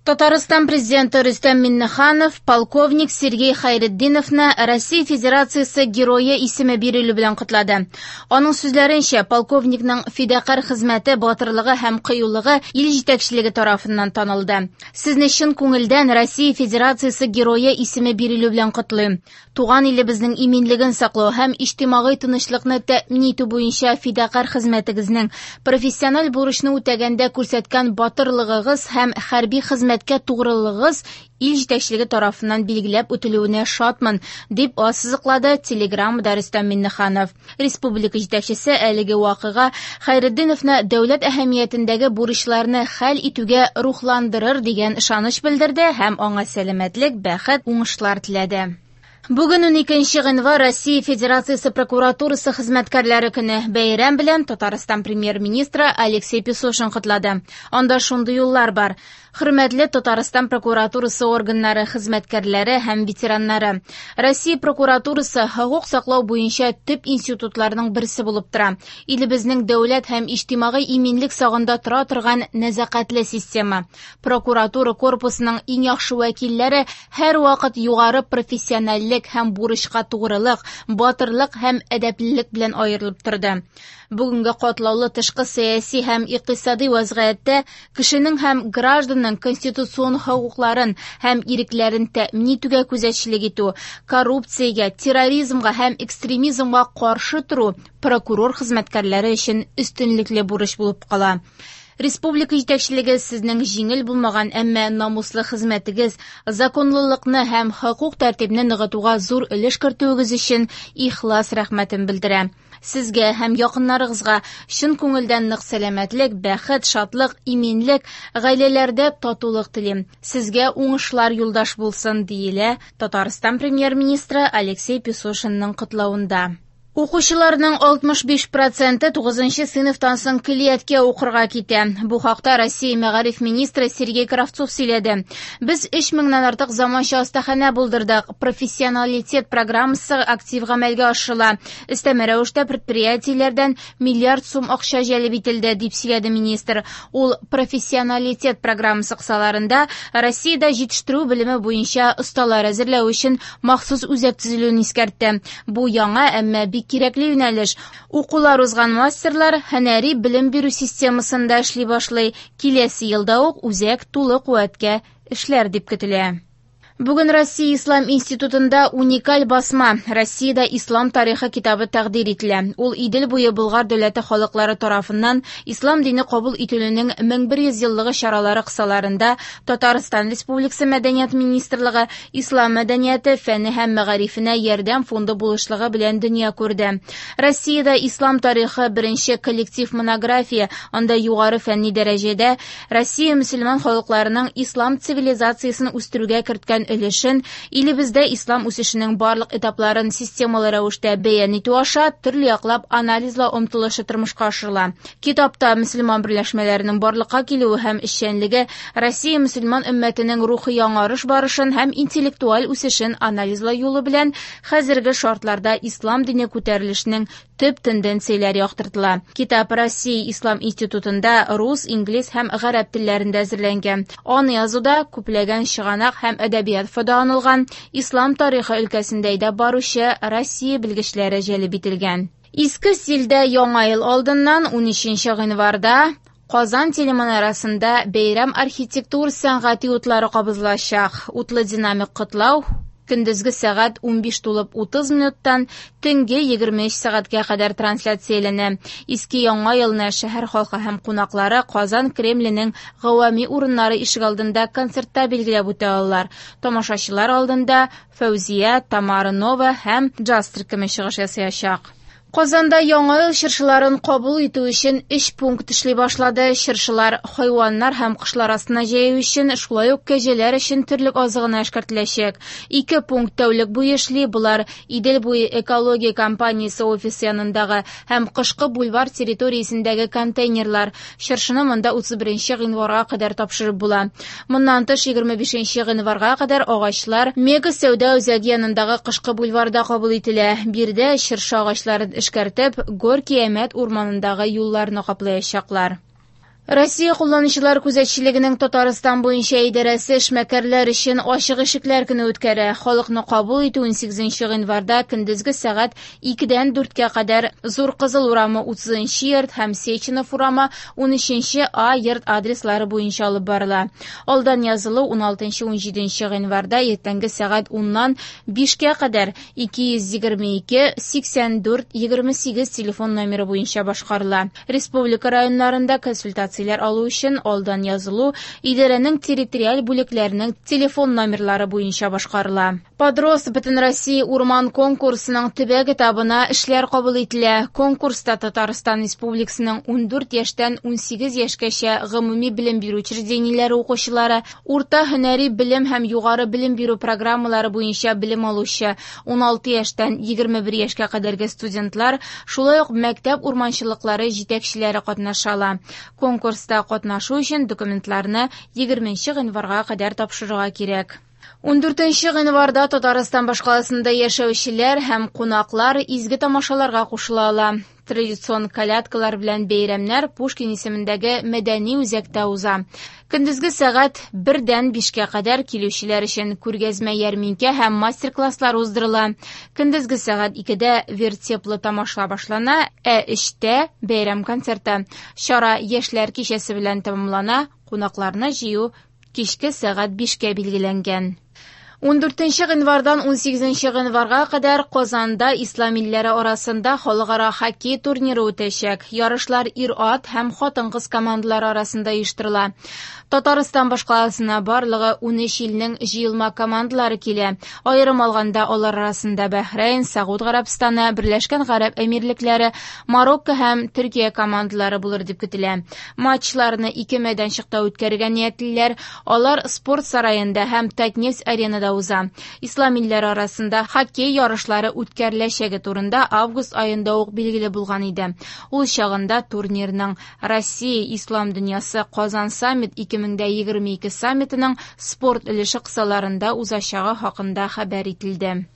Татарстан президенты Рөстәм Миннеханов полковник Сергей Хайретдиновны Россия Федерациясе Герое исеме бирелү белән котлады. Аның сүзләренчә, полковникның фидакарь хезмәте, батырлыгы һәм кыюлыгы ил җитәкчелеге тарафыннан танылды. Сезне чын күңелдән Россия Федерациясе Герое исеме бирелү белән котлыйм. Туган илебезнең иминлеген саклау һәм иҗтимагый тынычлыкны тәэмин итү буенча фидакарь хезмәтегезнең, профессиональ бурычны үтәгәндә күрсәткән батырлыгыгыз һәм хәрби хезмәткә тугрылыгыгыз ил җитәкчелеге тарафыннан билгеләп үтелүенә шатмын, дип ассызыклады Телеграммада Рөстәм Миңнеханов. Республика җитәкчесе әлеге вакыйга Хәйретдиновны дәүләт әһәмиятендәге бурычларны хәл итүгә рухландырыр дигән ышаныч белдерде һәм аңа сәламәтлек, бәхет, уңышлар теләде. Бүген 12 гыйнвар Россия Федерациясе прокуратурасы хезмәткәрләре көне. Бәйрәм белән Татарстан премьер-министры Алексей Песошин котлады. Анда шундый юллар бар. Хөрмәтле Татарстан прокуратурасы органнары хезмәткәрләре һәм ветераннары. Россия прокуратурасы хокук саклау буенча төп институтларның берсе булып тора. Илебезнең дәүләт һәм иҗтимагый иминлек сагында тора торган нәзакәтле система. Прокуратура корпусының иң яхшы вәкилләре һәрвакыт югары профессиональлек һәм бурычка тугрылык, батырлык һәм әдәплелек белән аерылып торды. Бүгенге катлаулы тышкы сәяси һәм икътисади вазгыятьтә кешенең һәм гражданның конституцион хокукларын һәм ирекләрен тәэмин итүгә күзәтчелек итү, коррупциягә, терроризмга һәм экстремизмга каршы тору прокурор хезмәткәрләре өчен өстенлекле бурыч булып кала. Республика җитәкчелеге сезнең җиңел булмаган, әмма намуслы хезмәтегез, законлылыкны һәм хокук тәртибне ныгытуга зур өлеш кертүегез өчен ихлас рәхмәтен белдерә. Сезгә һәм якыннарыгызга чын күңелдән нык сәламәтлек, бәхет, шатлык, иминлек, гаиләләрдә татулык телим. Сезгә уңышлар юлдаш булсын, диелә Татарстан премьер-министры Алексей Песошинның котлавында. Укучыларның 65 проценты 9 сыйныфтан соң көллияткә укырга китә. Бу хакта Россия мәгариф министры Сергей Кравцов сөйләде. Без 3 меңнән артык заманча остаханә булдырдык. Профессионалитет программасы актив гамәлгә ашырыла. Өстәмә рәвештә предприятиеләрдән миллиард сум акча җәлеп ителде, дип сөйләде министр. Ул профессионалитет программасы кысаларында Россиядә җитештерү белеме буенча осталар әзерләү өчен махсус үзәк төзелүен искәртте. Бу яңа, әмма бик кирәкле юнәлеш. Укулар узган мастерлар һөнәри белем бирү системасында эшли башлый. Киләсе елда ук үзәк тулы куәткә эшләр дип көтелә. Бүген Россия Ислам институтында уникаль басма Россиядә ислам тарихы китабы тәкъдир ителә. Ул Идел буе Болгар дәүләте халыклары тарафыннан ислам дине кабул ителүнең 1100 еллыгы чаралары кысаларында Татарстан Республикасы Мәдәният министрлыгы Ислам мәдәнияте фәне һәм мәгарифенә ярдәм фонды булышлыгы белән дөнья күрде. Россиядә ислам тарихы беренче коллектив монография, анда югары фәнни дәрәҗәдә Россия мөселман халыкларының ислам цивилизациясен үстерүгә керткән өлешен, илебездә ислам үсешенең барлык этапларын системалы рәвештә бәян итү аша төрле яклап анализлау омтылышы тормышка ашырыла. Китапта мөселман берләшмәләренең барлыкка килүе һәм эшчәнлеге, Россия мөселман өммәтенең рухи яңарыш барышын һәм интеллектуаль үсешен анализлау юлы белән хәзерге шартларда ислам дине күтәрелешенең төп тенденцияләре яктыртыла. Китап Россия Ислам институтында рус, инглиз һәм гарәп телләрендә әзерләнгән. Аны язуда күпләгән чыганак һәм әдәбият файдаланылган, ислам тарихы өлкәсендә әйдәп баручы Россия белгечләре җәлеп ителгән. Иске стильдә Яңа ел алдыннан 13 гыйнварда Казан телеманарасында бәйрәм архитектур сәнгати утлары кабызылачак. Утлы динамик котлау көндезге сәгать 15 тулып 30 минуттан төнге 23 сәгатькә кадәр трансляцияләнә. Иске Яңа елны шәһәр халкы һәм кунаклары Казан Кремленең гавами урыннары ишегалдында концертта билгеләп үтә алалар. Тамашачылар алдында Фәүзия, Тамара Нова һәм джаз төркеме чыгыш ясаячак. Казанда яңа ел чыршыларын кабул итү өчен 3 пункт эшли башлады. Чыршылар хайваннар һәм кошлар астына җәю өчен, шулай ук кәҗәләр өчен терлек азыгына эшкәртеләчәк. 2 пункт тәүлек буе эшли. Болар Идел буе экология компаниясе офисы янындагы һәм Кышкы бульвар территориясендәге контейнерлар. Чыршыны монда 31 гыйнварга кадәр тапшырып була. Моннан тыш 25 гыйнварга кадәр агачлар Мега сәүдә үзәге янындагы Кышкы бульварда кабул ителә. Биредә чыршы агачларын эшкәртеп, Горький Әмәт урманындагы юлларны каплаячаклар. Россия кулланучылар күзәтчелегенең Татарстан буенча идарәсе эшмәкәрләр өчен ачык ишекләр көне үткәрә. Халыкны кабул итү 18 гыйнварда көндезге сәгать 2-дән 4-кә кадәр Зур Кызыл урамы 30 нчы йорт һәм Сеченов урамы 13 А йорт адреслары буенча алып барыла. Алдан язылу 16-17 гыйнварда иртәнге сәгать 10-нан 5-кә кадәр 222 84 28 телефон номеры буенча башкарыла. Республика районнарында консультацияләр алу өчен алдан язылу идарәнең территориаль бүлекләренең телефон номерлары буенча башкарыла. Подрос Бөтенроссия урман конкурсының төбәк этабына эшләр кабул ителә. Конкурста Татарстан Республикасының 14 яшьтән 18 яшькәчә гомуми белем бирү учреждениеләре укучылары, урта һөнәри белем һәм югары белем бирү программалары буенча белем алучы 16 яшьтән 21 яшькә кадәрге студентлар, шулай ук мәктәп урманчылыклары җитәкчеләре катнаша ала. Конкурста катнашу өчен документларны 20 гыйнварга кадәр тапшырырга кирәк. 14 гыйнварда Татарстан башкаласында яшәүчеләр һәм кунаклар изге тамашаларга кушыла ала. Традицион колядкалар белән бәйрәмнәр Пушкин исемендәге мәдәни үзәктә уза. Көндезге сәгать 1-дән 5-кә кадәр килүчеләр өчен күргәзмә ярминкә һәм мастер-класслар уздырыла. Көндезге сәгать 2-дә вертеплы тамаша башлана, ә 3-тә бәйрәм концерты. Чара яшьләр кичәсе белән тәмамлана, кунакларны җыю кичке сәгать 5-кә билгеләнгән. 14 гыйнвардан 18 гыйнварга кадәр Казанда ислам илләре арасында халыкара хоккей турниры үтәчәк. Ярышлар ир-ат һәм хатын-кыз командалары арасында оештырыла. Татарстан башкаласына барлыгы 13 илнең җыелма командалары килә. Аерым алганда алар арасында Бәхрәйн, Сауд Гарәбстаны, Берләшкән Гарәп Әмирлекләре, Марокко һәм Төркия командалары булыр дип көтелә. Матчларны ике мәйданчыкта үткәрергә ниятлиләр. Алар спорт сараенда һәм Татнефть аренада уза. Ислам илләре арасында хоккей ярышлары үткәреләчәге турында август аенда ук билгеле булган иде. Ул чагында турнирның Россия Ислам дөньясы Казан саммит 2022 саммитының спорт өлеше кысаларында узачагы хакында хәбәр ителде.